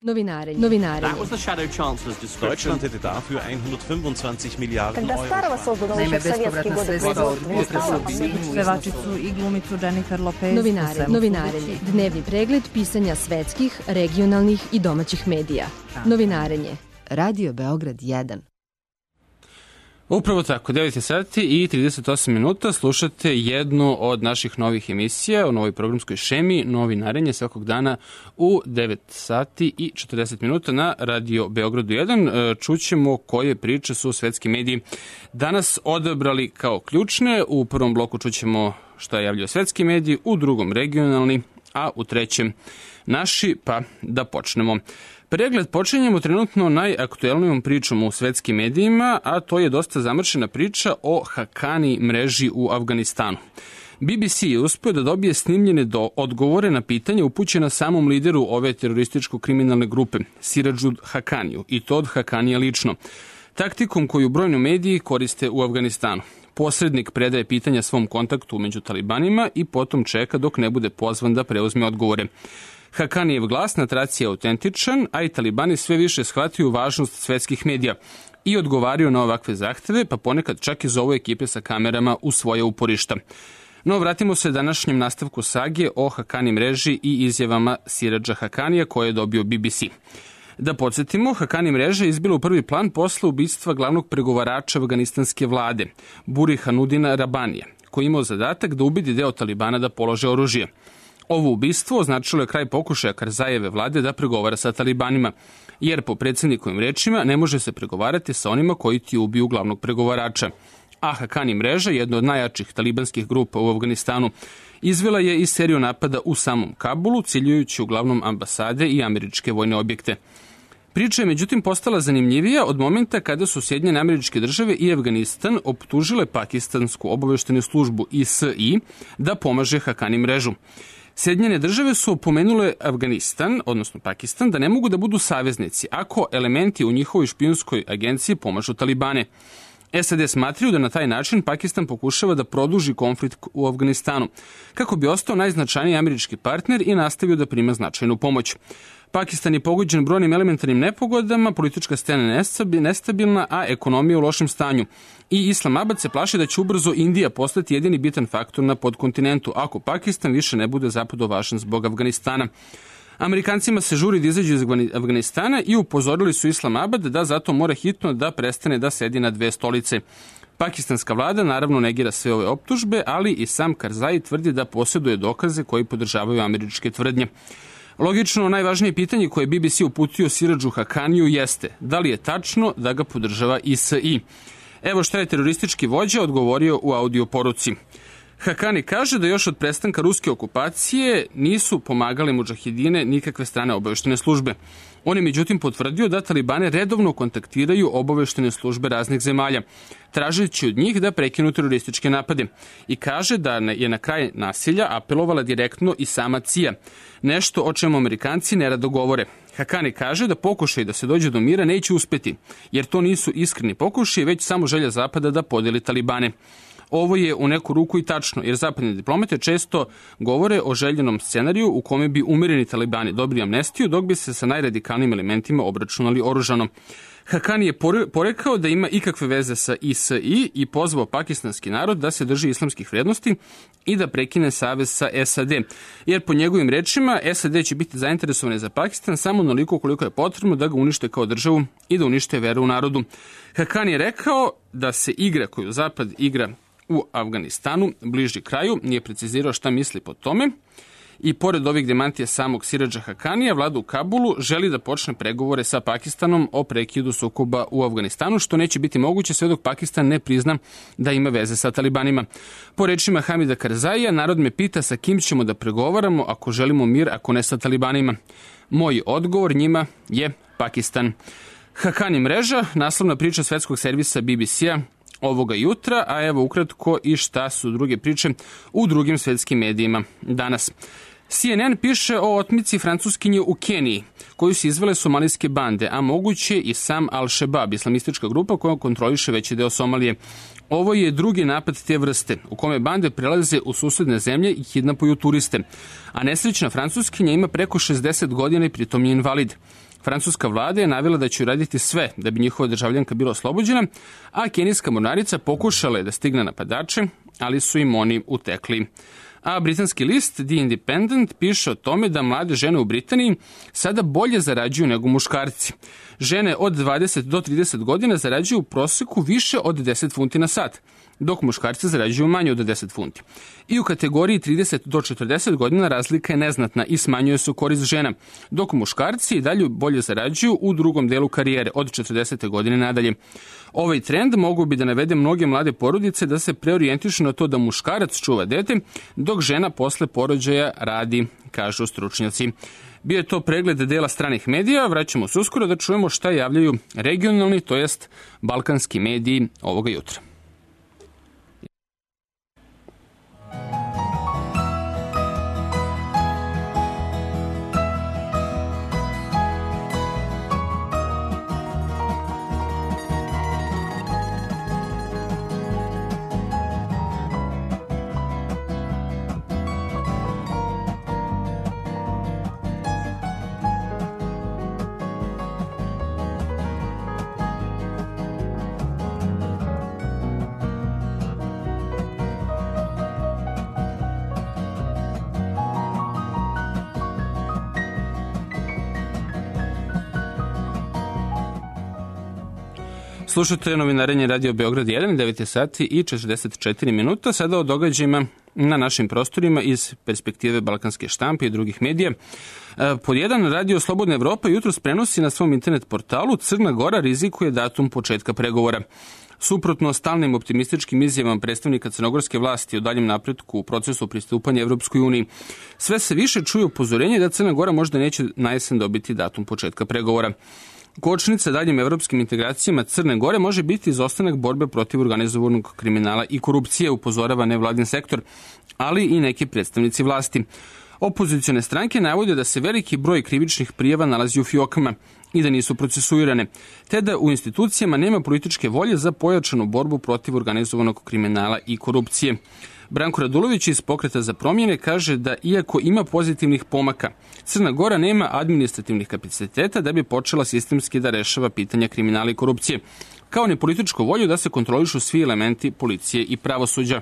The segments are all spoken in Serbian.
Novinarenje. Deutschland hätte dafür 125 Miliarden Euro. Naime, bespovratna sredstva od pevačicu i glumicu Jennifer Lopez. Novinarenje. Dnevni pregled pisanja svetskih, regionalnih i domaćih medija. Novinarenje. Radio Beograd 1. Upravo tako, 9 sati i 38 minuta slušate jednu od naših novih emisija u novoj programskoj šemi Novinarenje svakog dana u 9 sati i 40 minuta na Radio Beogradu 1. Čućemo koje priče su svetski mediji danas odabrali kao ključne. U prvom bloku čućemo šta javljaju svetski mediji, u drugom regionalni, a u trećem naši, pa da počnemo. Pregled počinjemo trenutno najaktuelnijom pričom u svetskim medijima, a to je dosta zamršena priča o Hakani mreži u Afganistanu. BBC je uspio da dobije snimljene odgovore na pitanje upućena samom lideru ove terorističko-kriminalne grupe, Siradžu Hakaniju, i to od Hakanija lično, taktikom koju brojni mediji koriste u Afganistanu. Posrednik predaje pitanja svom kontaktu među talibanima i potom čeka dok ne bude pozvan da preuzme odgovore. Hakanijev glas na traci je autentičan, a i talibani sve više shvataju važnost svetskih medija i odgovaraju na ovakve zahteve, pa ponekad čak i zovu ekipe sa kamerama u svoje uporišta. No, vratimo se današnjem nastavku sage o Hakani mreži i izjavama Siradža Hakanija koje je dobio BBC. Da podsjetimo, Hakani mreža je izbila u prvi plan posle ubistva glavnog pregovarača afganistanske vlade, Burihanudina Rabanija, koji je imao zadatak da ubedi deo talibana da polože oružje. Ovo ubistvo označilo je kraj pokušaja Karzajeve vlade da pregovara sa talibanima, jer po predsjednikovim rečima ne može se pregovarati sa onima koji ti ubiju glavnog pregovarača. A Hakani mreža, jedna od najjačih talibanskih grupa u Afganistanu, izvela je i seriju napada u samom Kabulu, ciljujući uglavnom ambasade i američke vojne objekte. Priča je međutim postala zanimljivija od momenta kada su Sjedinjene Američke Države i Afganistan optužile pakistansku obaveštenu službu ISI da pomaže Hakani mrežu. Sjedinjene Države su opomenule Afganistan, odnosno Pakistan, da ne mogu da budu saveznici ako elementi u njihovoj špijunskoj agenciji pomažu talibane. SAD smatraju da na taj način Pakistan pokušava da produži konflikt u Afganistanu, kako bi ostao najznačajniji američki partner i nastavio da prima značajnu pomoć. Pakistan je pogođen brojnim elementarnim nepogodama, politička scena nestabilna, a ekonomija u lošem stanju. I Islamabad se plaši da će ubrzo Indija postati jedini bitan faktor na podkontinentu, ako Pakistan više ne bude zapadno važan zbog Afganistana. Amerikancima se žuri da izađu iz Afganistana i upozorili su Islamabad da zato mora hitno da prestane da sedi na dve stolice. Pakistanska vlada naravno negira sve ove optužbe, ali i sam Karzai tvrdi da posjeduje dokaze koji podržavaju američke tvrdnje. Logično, najvažnije pitanje koje je BBC uputio Siradžu Hakaniju jeste da li je tačno da ga podržava ISI. Evo šta je teroristički vođa odgovorio u audio poruci. Hakani kaže da još od prestanka ruske okupacije nisu pomagali mudžahidine nikakve strane obaveštene službe. On je međutim potvrdio da talibane redovno kontaktiraju obaveštene službe raznih zemalja, tražeći od njih da prekinu terorističke napade. I kaže da je na kraj nasilja apelovala direktno i sama CIA, nešto o čemu Amerikanci nerado govore. Hakani kaže da pokušaj da se dođe do mira neće uspeti, jer to nisu iskreni pokušaj, već samo želja Zapada da podeli talibane. Ovo je u neku ruku i tačno, jer zapadne diplomate često govore o željenom scenariju u kome bi umireni talibani dobili amnestiju, dok bi se sa najradikalnijim elementima obračunali oružano. Hakani je porekao da ima ikakve veze sa ISI i pozvao pakistanski narod da se drži islamskih vrednosti i da prekine savez sa SAD, jer po njegovim rečima SAD će biti zainteresovane za Pakistan samo onoliko koliko je potrebno da ga unište kao državu i da unište veru u narodu. Hakani je rekao da se igra koju Zapad igra u Afganistanu bliži kraju, nije precizirao šta misli po tome. I pored ovih demantija samog Siradža Hakanija, vlada u Kabulu želi da počne pregovore sa Pakistanom o prekidu sukoba u Afganistanu, što neće biti moguće sve dok Pakistan ne prizna da ima veze sa talibanima. Po rečima Hamida Karzaija, narod me pita sa kim ćemo da pregovaramo ako želimo mir, ako ne sa talibanima. Moj odgovor njima je Pakistan. Hakani mreža, naslovna priča svetskog servisa BBC-a ovoga jutra, a evo ukratko i šta su druge priče u drugim svetskim medijima danas. CNN piše o otmici Francuskinje u Keniji, koju su izvele somalijske bande, a moguće i sam Al-Shabaab, islamistička grupa koja kontroliše veći deo Somalije. Ovo je drugi napad te vrste, u kome bande prelaze u susedne zemlje i kidnapuju turiste. A nesrećna Francuskinja ima preko 60 godina i pritom je invalid. Francuska vlada je navela da će uraditi sve da bi njihova državljanka bila oslobođena, a kenijska mornarica pokušala je da stigne napadače, ali su im oni utekli. A britanski list The Independent piše o tome da mlade žene u Britaniji sada bolje zarađuju nego muškarci. Žene od 20 do 30 godina zarađuju u proseku više od 10 funti na sat, dok muškarci zarađuju manje od 10 funti. I u kategoriji 30 do 40 godina razlika je neznatna i smanjuje se u korist žena, dok muškarci i dalje bolje zarađuju u drugom delu karijere, od 40. godine nadalje. Ovaj trend mogu bi da navede mnoge mlade porodice da se preorijentišu na to da muškarac čuva dete, dok žena posle porođaja radi, kažu stručnjaci. Bio je to pregled dela stranih medija, vraćamo se uskoro da čujemo šta javljaju regionalni, to jest balkanski mediji ovoga jutra. Slušate novinarenje Radio Beograd 1, 9 sati i 44 minuta. Sada o događajima na našim prostorima iz perspektive balkanske štampe i drugih medija. Pod jedan, Radio Slobodna Evropa jutros prenosi na svom internet portalu Crna Gora rizikuje datum početka pregovora. Suprotno stalnim optimističkim izjavama predstavnika crnogorske vlasti o daljem napretku u procesu pristupanja Evropskoj uniji, sve se više čuje upozorenje da Crna Gora možda neće na jesen dobiti datum početka pregovora. Kočnica daljim evropskim integracijama Crne Gore može biti izostanak borbe protiv organizovanog kriminala i korupcije, upozorava nevladin sektor, ali i neki predstavnici vlasti. Opozicione stranke navode da se veliki broj krivičnih prijava nalazi u fijokama i da nisu procesuirane, te da u institucijama nema političke volje za pojačanu borbu protiv organizovanog kriminala i korupcije. Branko Radulović iz Pokreta za promjene kaže da iako ima pozitivnih pomaka, Crna Gora nema administrativnih kapaciteta da bi počela sistemski da rešava pitanja kriminala i korupcije, kao ni političku volju da se kontrolišu svi elementi policije i pravosuđa.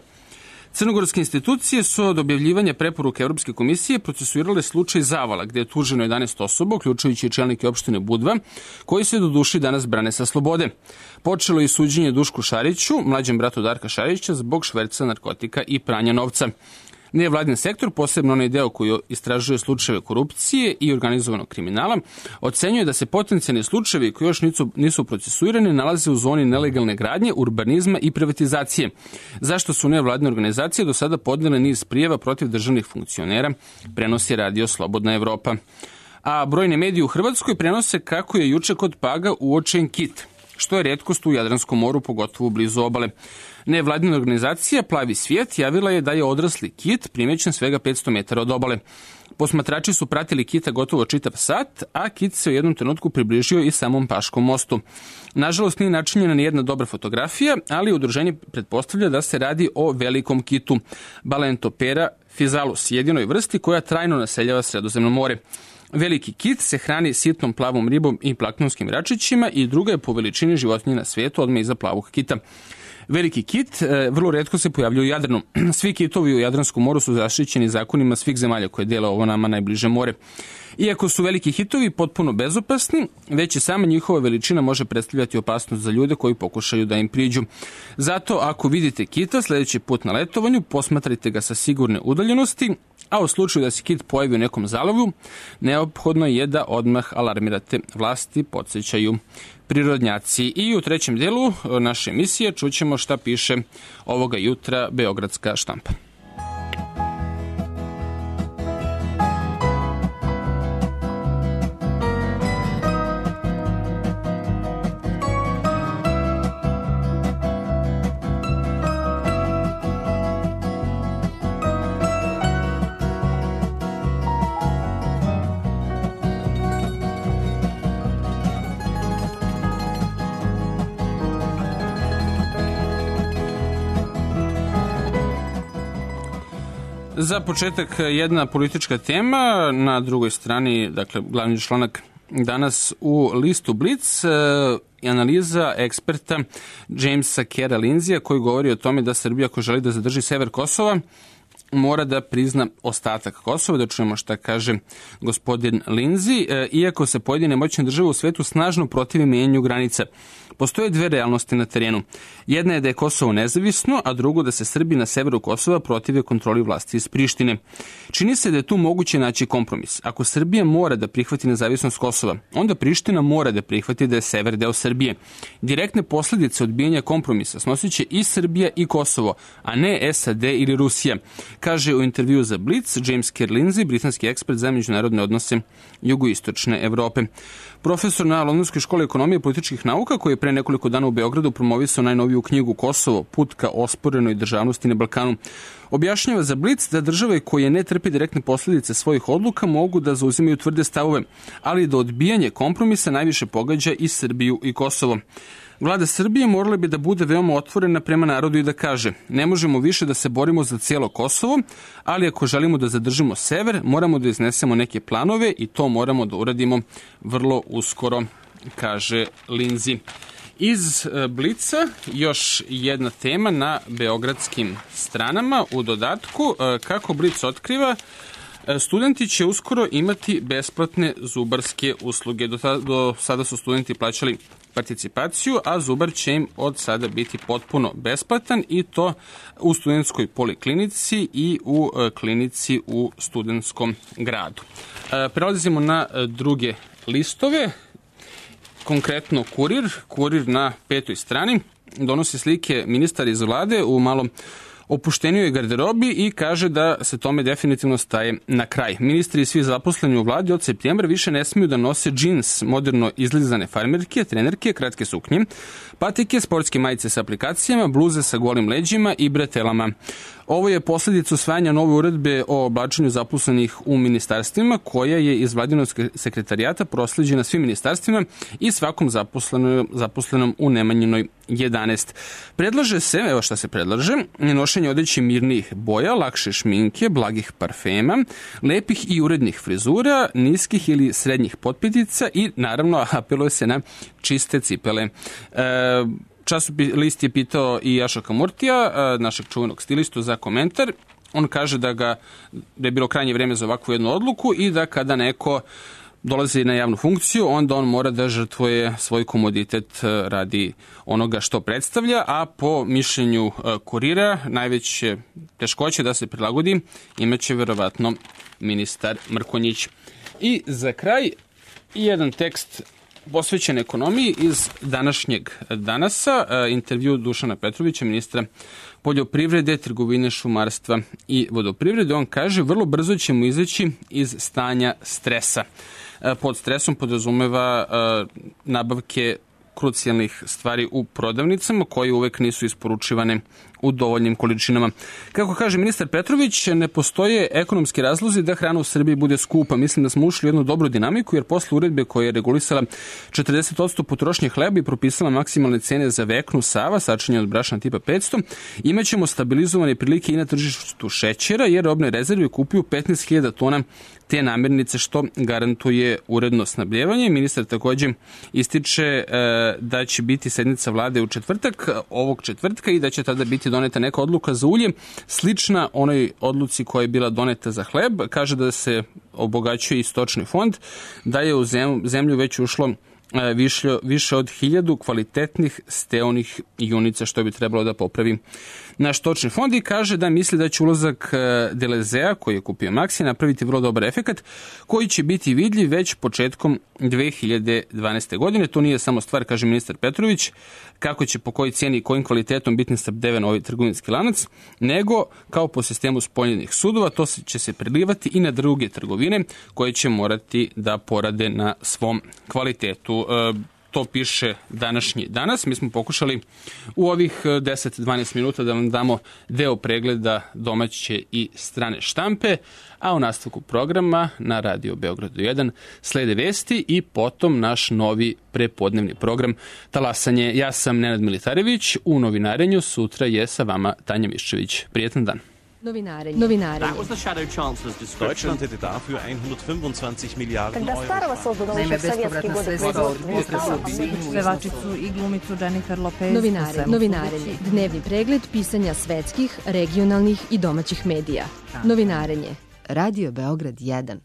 Crnogorske institucije su od objavljivanja preporuke Evropske komisije procesuirale slučaj Zavala, gde je tuženo 11 osoba, uključujući i čelnike opštine Budva, koji se do duši danas brane sa slobode. Počelo je suđenje Dušku Šariću, mlađem bratu Darka Šarića, zbog šverca narkotika i pranja novca. Nevladin sektor, posebno onaj deo koji istražuje slučajeve korupcije i organizovanog kriminala, ocenjuje da se potencijalni slučajevi koji još nisu procesuirani nalaze u zoni nelegalne gradnje, urbanizma i privatizacije. Zašto su nevladine organizacije do sada podnele niz prijava protiv državnih funkcionera, prenosi Radio Slobodna Evropa. A brojne medije u Hrvatskoj prenose kako je juče kod Paga uočen kit, što je retkost u Jadranskom moru, pogotovo blizu obale. Nevladina organizacija Plavi svijet javila je da je odrasli kit primećen svega 500 metara od obale. Posmatrači su pratili kita gotovo čitav sat, a kit se u jednom trenutku približio i samom Paškom mostu. Nažalost, nije načinjena ni jedna dobra fotografija, ali udruženje pretpostavlja da se radi o velikom kitu, Balentoptera physalus, jedinoj vrsti koja trajno naseljava Sredozemno more. Veliki kit se hrani sitnom plavom ribom i planknonskim račićima i druga je po veličini životinje na svijetu odmah iza plavog kita. Veliki kit vrlo retko se pojavljuje u Jadranu. Svi kitovi u Jadranskom moru su zaštićeni zakonima svih zemalja koje dele ovo nama najbliže more. Iako su veliki hitovi potpuno bezopasni, već i sama njihova veličina može predstavljati opasnost za ljude koji pokušaju da im priđu. Zato ako vidite kita sljedeći put na letovanju, posmatrajte ga sa sigurne udaljenosti, a u slučaju da se kit pojavi u nekom zalovu, neophodno je da odmah alarmirate, vlasti podsjećaju prirodnjaci. I u trećem delu naše emisije čućemo šta piše ovoga jutra Beogradska štampa. Za početak jedna politička tema, na drugoj strani, dakle, glavni članak danas u listu Blitz analiza eksperta Jamesa Kera Lindsaya koji govori o tome da Srbija, ako želi da zadrži sever Kosova, mora da prizna ostatak Kosova. Da čujemo šta kaže gospodin Lindsay. Iako se pojedine moćne države u svetu snažno protive menjanju granica, postoje dve realnosti na terenu. Jedna je da je Kosovo nezavisno, a drugo da se Srbi na severu Kosova protive kontroli vlasti iz Prištine. Čini se da je tu moguće naći kompromis. Ako Srbija mora da prihvati nezavisnost Kosova, onda Priština mora da prihvati da je sever deo Srbije. Direktne posledice odbijanja kompromisa snosit će i Srbija i Kosovo, a ne SAD ili Rusija, kaže u intervju za Blitz James Kerr Lindsay, britanski ekspert za međunarodne odnose jugoistočne Evrope. Profesor na Londonskoj školi ekonomije i političkih nauka, koji je pre nekoliko dana u Beogradu promovisao najnoviju knjigu Kosovo, put ka osporenoj državnosti na Balkanu, objašnjava za Blitz da države koje ne trpe direktne posljedice svojih odluka mogu da zauzimaju tvrde stavove, ali da odbijanje kompromisa najviše pogađa i Srbiju i Kosovo. Vlada Srbije morala bi da bude veoma otvorena prema narodu i da kaže: ne možemo više da se borimo za cijelo Kosovo, ali ako želimo da zadržimo sever, moramo da iznesemo neke planove i to moramo da uradimo vrlo uskoro, kaže Lindsay. Iz Blica još jedna tema na beogradskim stranama. U dodatku, kako Blic otkriva, studenti će uskoro imati besplatne zubarske usluge. Do sada su studenti plaćali participaciju, a zubar će im od sada biti potpuno besplatan, i to u studentskoj poliklinici i u klinici u studentskom gradu. Prelazimo na druge listove. Konkretno Kurir na 5. strani donosi slike ministara iz vlade u malo opuštenijoj garderobi i kaže da se tome definitivno staje na kraj. Ministri i svi zaposleni u vladi od septembra više ne smiju da nose džins, moderno izlizane farmerke, trenerke, kratke suknje, patike, sportske majice sa aplikacijama, bluze sa golim leđima i bretelama. Ovo je posljedica usvajanja nove uredbe o oblačenju zaposlenih u ministarstvima, koja je iz vladinog sekretarijata prosleđena svim ministarstvima i svakom zaposlenom u Nemanjinoj 11. Predlaže se, evo šta se predlaže: nošenje odeće mirnijih boja, lakše šminke, blagih parfema, lepih i urednih frizura, niskih ili srednjih potpetica i naravno apeluje se na čiste cipele. List je pitao i Jaša Kamurtija, našeg čuvenog stilistu, za komentar. On kaže da je bilo krajnje vreme za ovakvu jednu odluku i da kada neko dolazi na javnu funkciju, onda on mora da žrtvuje svoj komoditet radi onoga što predstavlja, a po mišljenju Kurira najveće teškoće da se prilagodi imaće verovatno ministar Mrkonjić. I za kraj jedan tekst posvećen ekonomiji iz današnjeg Danasa, intervju Dušana Petrovića, ministra poljoprivrede, trgovine, šumarstva i vodoprivrede. On kaže: vrlo brzo ćemo izaći iz stanja stresa. Pod stresom podrazumeva nabavke krucijalnih stvari u prodavnicama koje uvek nisu isporučivane u dovoljnim količinama. Kako kaže ministar Petrović, ne postoje ekonomski razlozi da hrana u Srbiji bude skupa. Mislim da smo ušli u jednu dobru dinamiku, jer posle uredbe koja je regulisala 40% potrošnje hleba i propisala maksimalne cene za veknu Sava, sačinjen od brašna tipa 500, imaćemo stabilizovane prilike i na tržištu šećera, jer robne rezerve kupuju 15.000 tona te namirnice, što garantuje uredno snabdjevanje. Ministar također ističe da će biti sednica vlade u četvrtak, ovog četvrtka, i da će tada biti doneta neka odluka za ulje, slična onoj odluci koja je bila doneta za hleb. Kaže da se obogaćuje i stočni fond, da je u zemlju već ušlo više od 1000 kvalitetnih steonih junica, što bi trebalo da popravi naš stočni fond, i kaže da misli da će ulazak Delezea, koji je kupio Maxi, napraviti vrlo dobar efekat koji će biti vidljiv već početkom 2012. godine. To nije samo stvar, kaže ministar Petrović, kako će po kojoj cijeni i kojim kvalitetom biti snabdeven ovaj trgovinski lanac, nego kao po sistemu spoljnih sudova, to će se prilivati i na druge trgovine koje će morati da porade na svom kvalitetu. To piše današnji Danas. Mi smo pokušali u ovih 10-12 minuta da vam damo deo pregleda domaće i strane štampe, a u nastavku programa na Radio Beogradu 1 slede vesti i potom naš novi prepodnevni program Talasanje. Ja sam Nenad Militarević, u novinarenju sutra je sa vama Tanja Miščević. Prijetan dan. Novinarenje. Deutschland hätte dafür 125 Milliarden Euro. Naime, bespovratna sredstva od potresa u svibnju. Pevačicu i glumicu Jennifer Lopez. Novinarenje. Dnevni pregled pisanja svetskih, regionalnih i domaćih medija. Novinarenje. Radio Beograd 1.